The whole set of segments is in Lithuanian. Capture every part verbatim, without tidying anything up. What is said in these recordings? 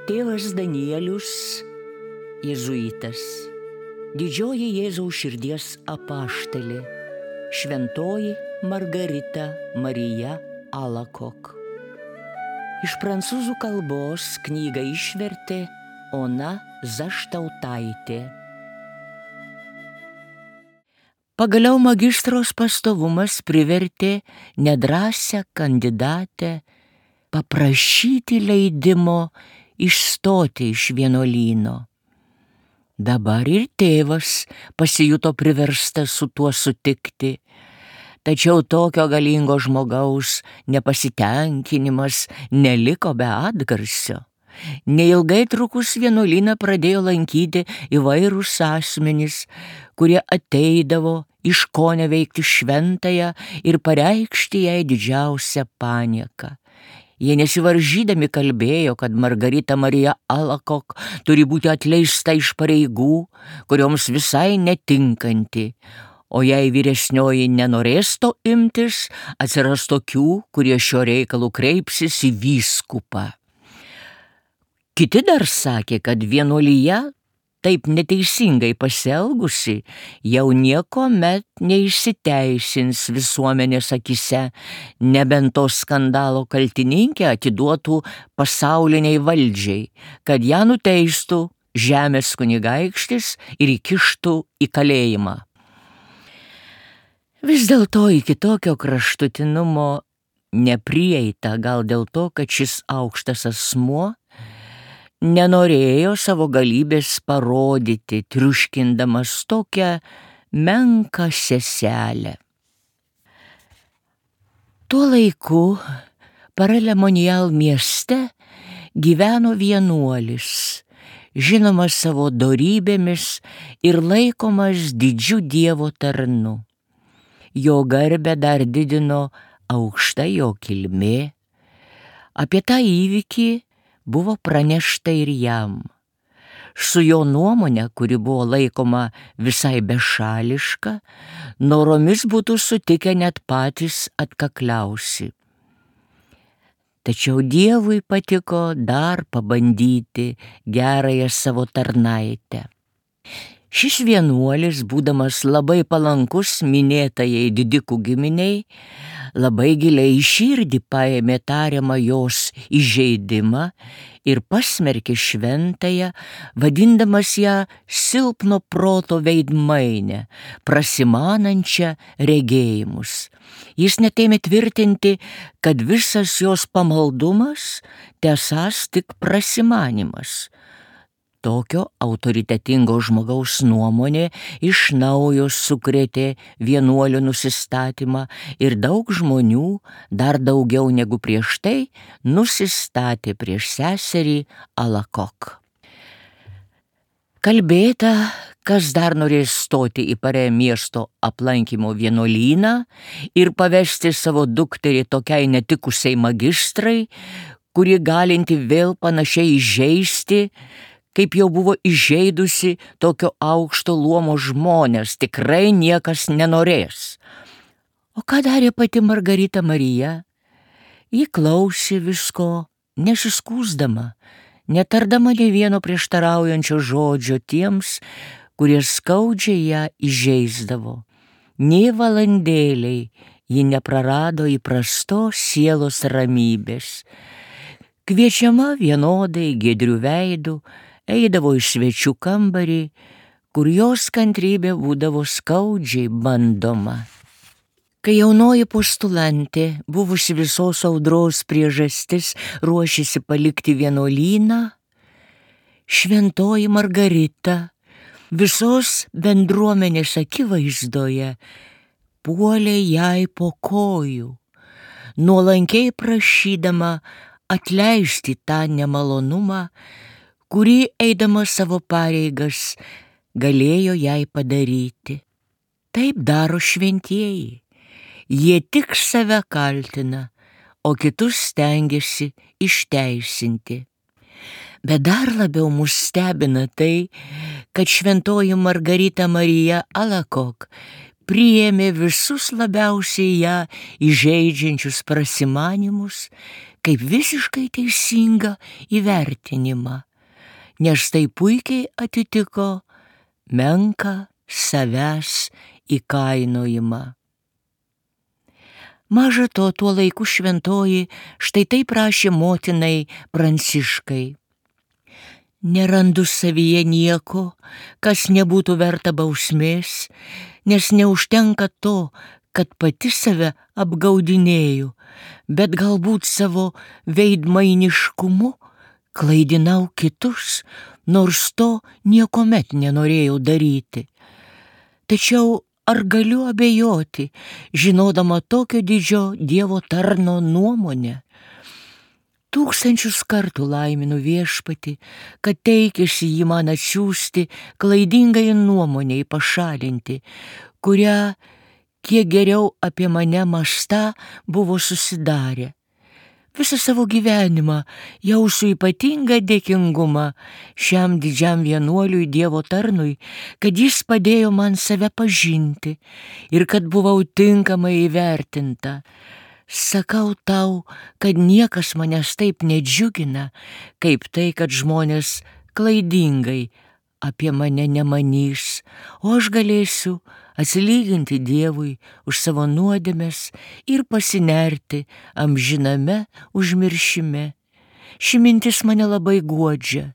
Tėvas Danielius, jėzuitas, didžioji Jėzaus širdies apaštalė, šventoji Margarita Marija Alacoque. Iš prancūzų kalbos knygą išvertė Ona Zaštautaitė. Pagaliau magistros pastovumas privertė nedrąsią kandidatę paprašyti leidimo išstoti iš vienuolyno. Dabar ir tėvas pasijuto priverstas su tuo sutikti, tačiau tokio galingo žmogaus nepasitenkinimas neliko be atgarsio. Neilgai trukus vienuolyną pradėjo lankyti įvairūs asmenys, kurie ateidavo iškoneveikti šventąją ir pareikšti jai didžiausią panieką. Jie nesivaržydami kalbėjo, kad Margarita Marija Alacoque turi būti atleista iš pareigų, kurioms visai netinkanti, o jei vyresnioji nenorės to imtis, atsiras tokių, kurie šio reikalu kreipsis į vyskupą. Kiti dar sakė, kad vienuolija taip neteisingai pasielgusi jau niekuomet neišsiteisins visuomenės akyse, nebent to skandalo kaltininkė atiduotų pasauliniai valdžiai, kad ją nuteistų žemės kunigaikštis ir įkištų į kalėjimą. Vis dėlto iki tokio kraštutinumo neprieita, gal dėl to, kad šis aukštas asmuo nenorėjo savo galybės parodyti, triuškindamas tokią menką seselę. Tuo laiku Paralemonial mieste gyveno vienuolis, žinomas savo dorybėmis ir laikomas didžiu Dievo tarnu. Jo garbę dar didino aukšta jo kilmė. Apie tą įvykį buvo pranešta ir jam. Su jo nuomonė, kuri buvo laikoma visai bešališka, noromis būtų sutikę net patys atkakliausi. Tačiau Dievui patiko dar pabandyti gerąją savo tarnaitę. Šis vienuolis, būdamas labai palankus minėtajai didikų giminiai, labai giliai į širdį paėmė tariamą jos įžeidimą ir pasmerkė šventąją, vadindamas ją silpno proto veidmainę, prasimanančią regėjimus. Jis net ėmė tvirtinti, kad visas jos pamaldumas tesąs tik prasimanimas. Tokio autoritetingo žmogaus nuomonė iš naujo sukrėtė vienuolio nusistatymą ir daug žmonių, dar daugiau negu prieš tai, nusistatė prieš seserį Alacoque. Kalbėta, kas dar norės stoti į Parė miesto aplankymo vienuolyną ir pavesti savo dukterį tokiai netikusiai magistrai, kuri galinti vėl panašiai įžeisti, kaip jau buvo įžeidusi tokio aukšto luomo žmonės, tikrai niekas nenorės. O ką darė pati Margarita Marija? Ji klausė visko, nesiskųsdama, netardama nė vieno prieštaraujančio žodžio tiems, kurie skaudžiai ją įžeisdavo. Nė valandėliai ji neprarado įprastos sielos ramybės. Kviečiama vienodai giedrių veidų, eidavo į svečių kambarį, kur jos kantrybė būdavo skaudžiai bandoma. Kai jaunoji postulantė, buvusi visos audros priežastis, ruošėsi palikti vienuolyną, šventoji Margarita visos bendruomenės akivaizdoje puolė jai po kojų, nuolankiai prašydama atleisti tą nemalonumą, kurį eidama savo pareigas galėjo jai padaryti. Taip daro šventieji. Jie tik save kaltina, o kitus stengiasi išteisinti. Bet dar labiau mus stebina tai, kad šventoji Margarita Marija Alacoque priėmė visus labiausiai ją įžeidžiančius prasimanimus kaip visiškai teisingą įvertinimą, nes tai puikiai atitiko menką savęs įkainojimą. Maža to, tuo laiku šventoji štai taip rašė motinai Pranciškai. Nerandu savyje nieko, kas nebūtų verta bausmės, nes neužtenka to, kad pati save apgaudinėju, bet galbūt savo veidmainiškumu klaidinau kitus, nors to niekuomet nenorėjau daryti. Tačiau ar galiu abejoti, žinodama tokio didžio Dievo tarno nuomonę? Tūkstančius kartų laiminu Viešpatį, kad teikėsi jį man atsiųsti klaidingai nuomonei pašalinti, kurią, kiek geriau apie mane mąstą, buvo susidarę. Visą savo gyvenimą jausiu ypatingą dėkingumą šiam didžiam vienuoliui Dievo tarnui, kad jis padėjo man save pažinti ir kad buvau tinkamai įvertinta. Sakau tau, kad niekas manęs taip nedžiugina, kaip tai, kad žmonės klaidingai apie mane nemanys, o aš galėsiu atsilyginti Dievui už savo nuodėmes ir pasinerti amžiname užmiršime. Ši mintis mane labai guodžia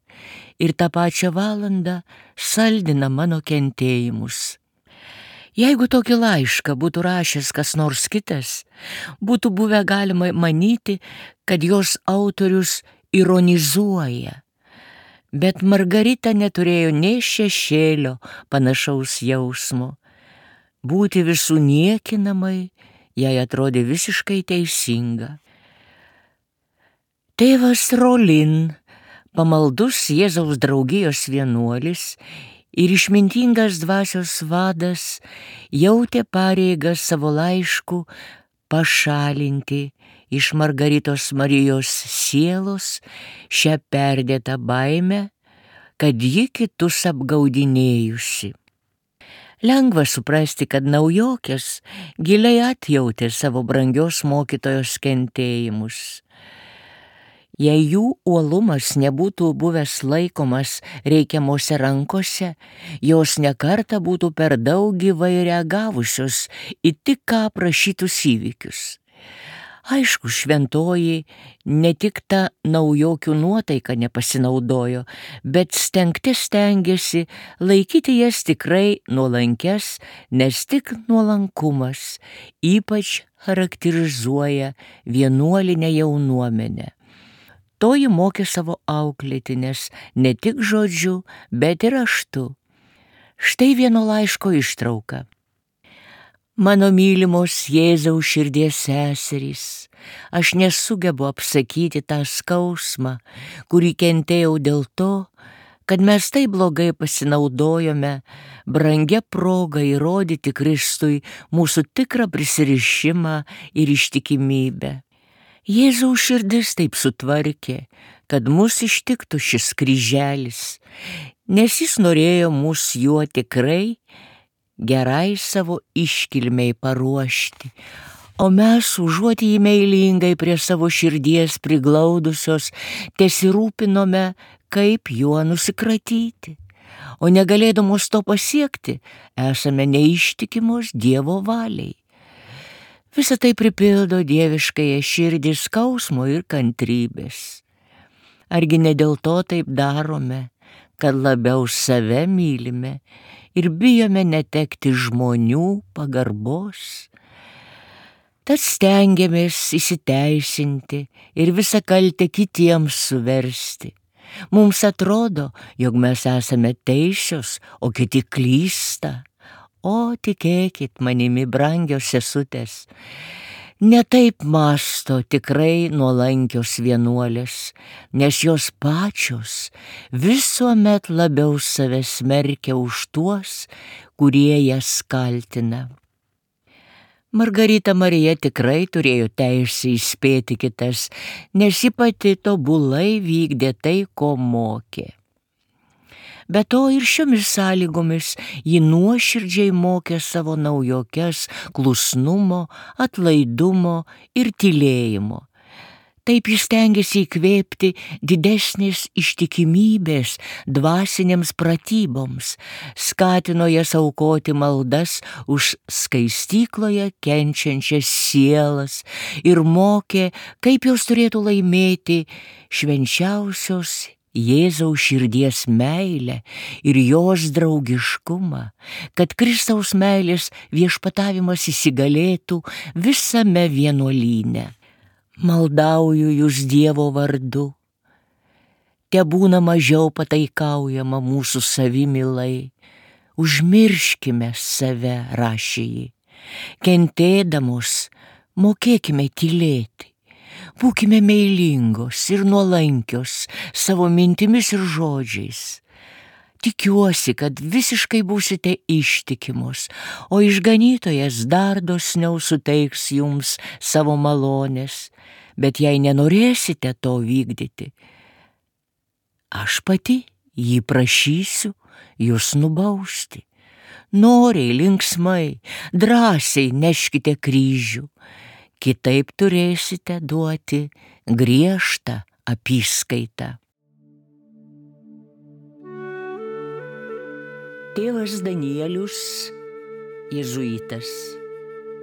ir tą pačią valandą saldina mano kentėjimus. Jeigu tokį laišką būtų rašęs kas nors kitas, būtų buvę galima manyti, kad jos autorius ironizuoja. Bet Margarita neturėjo nė šešėlio panašaus jausmo. Būti visų niekinamai jai atrodė visiškai teisinga. Tėvas Rolin, pamaldus Jėzaus draugijos vienuolis ir išmintingas dvasios vadas, jautė pareigą savo laišku pašalinti iš Margaritos Marijos sielos šią perdėtą baimę, kad ji kitus apgaudinėjusi. Lengva suprasti, kad naujokės giliai atjautė savo brangios mokytojos kentėjimus. Jei jų uolumas nebūtų buvęs laikomas reikiamose rankose, jos nekartą būtų per daug gyvai reagavusios į tik ką aprašytus įvykius. Aišku, šventoji ne tik tą naujokių nuotaiką nepasinaudojo, bet stengti stengėsi laikyti jas tikrai nuolankes, nes tik nuolankumas ypač charakterizuoja vienuolinę jaunuomenę. Toji mokė savo auklėtines ne tik žodžiu, bet ir raštu. Štai vieno laiško ištrauka. Mano mylimos Jėzaus širdies seserys, aš nesugebu apsakyti tą skausmą, kurį kentėjau dėl to, kad mes taip blogai pasinaudojome brangia proga įrodyti Kristui mūsų tikrą prisirišimą ir ištikimybę. Jėzaus širdis taip sutvarkė, kad mus ištiktų šis kryželis, nes jis norėjo mus juo tikrai gerai savo iškilmei paruošti, o mes užuot jį meilingai prie savo širdies priglaudusios, tesirūpinome, kaip juo nusikratyti, o negalėdamos to pasiekti, esame neištikimos Dievo valiai. Visą tai pripildo dieviškąją širdį skausmo ir kantrybės. Argi ne dėl to taip darome, kad labiau save mylime ir bijome netekti žmonių pagarbos? Tad stengiamės įsiteisinti ir visą kaltę kitiems suversti. Mums atrodo, jog mes esame teisios, o kiti klysta. O tikėkit manimi, brangios sesutės, ne taip mąsto tikrai nuolankios vienuolės, nes jos pačios visuomet labiau save smerkia už tuos, kurie jas kaltina. Margarita Marija tikrai turėjo teisę įspėti kitas, nes ji pati tobulai vykdė tai, ko mokė. Be to ir šiomis sąlygomis ji nuoširdžiai mokė savo naujokes klusnumo, atlaidumo ir tylėjimo. Taip jis stengiasi įkvėpti didesnės ištikimybės dvasinėms pratyboms, skatino jas aukoti maldas už skaistykloje kenčiančias sielas ir mokė, kaip jos turėtų laimėti švenčiausios Jėzaus širdies meilę ir jos draugiškumą, kad Kristaus meilės viešpatavimas įsigalėtų visame vienuolyne. Maldauju jūs Dievo vardu, tebūna mažiau pataikaujama mūsų savimilai, užmirškime save, rašė ji, kentėdamos mokėkime tylėti, būkime meilingos ir nuolankios savo mintimis ir žodžiais. Tikiuosi, kad visiškai būsite ištikimos, o išganytojas dar dosniau suteiks jums savo malonės, bet jei nenorėsite to vykdyti, aš pati jį prašysiu jūs nubausti. Noriai, linksmai, drąsiai neškite kryžių, kitaip turėsite duoti griežtą apyskaitą. Tėvas Danielius, jėzuitas,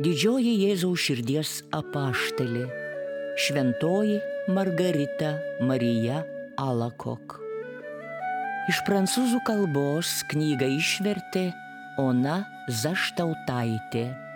didžioji Jėzaus širdies apaštalė, šventoji Margarita Marija Alakok. Iš prancūzų kalbos knygą išvertė Ona Zaštautaitė.